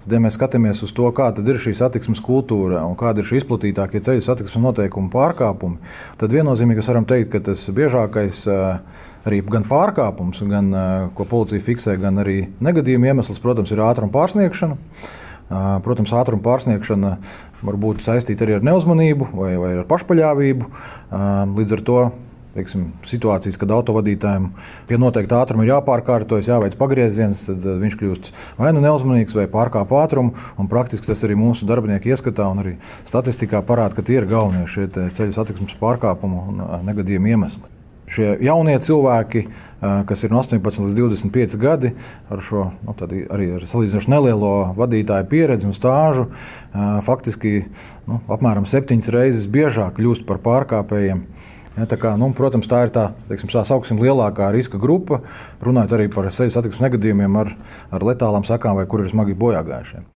Tad, ja mēs skatāmies uz to, kāda ir šī satiksmes kultūra un kāda ir šī izplatītākie ceļu satiksmes noteikumu pārkāpumi, tad viennozīmīgi mēs varam teikt, ka tas biežākais arī gan pārkāpums, gan ko policija fiksē, gan arī negadījuma iemesls, protams, ir ātruma pārsniegšana. Protams, ātruma pārsniegšana var būt saistīta arī ar neuzmanību vai ar pašpaļāvību. Līdz ar to situācijas, kad autovadītājiem pie noteikta ātruma ir jāpārkārtojas, jāveic pagrieziens, tad viņš kļūst vai nu neuzmanīgs vai pārkāp ātrumu. Un praktiski tas arī mūsu darbinieki ieskatā un arī statistikā parāda, ka tie ir galvenie šie ceļu satiksmes pārkāpumu un negadījumu iemesli. Šie jaunie cilvēki, kas ir no 18 līdz 25 gadi, ar šo arī ar salīdzinoši nelielo vadītāju pieredzi un stāžu, faktiski apmēram 7 reizes biežāk kļūst par pārkāpējiem. Ja, protams, tā ir tā sauksim, lielākā riska grupa, runājot arī par ceļu satiksmes negadījumiem ar letālām sekām vai kur ir smagi bojāgājušie.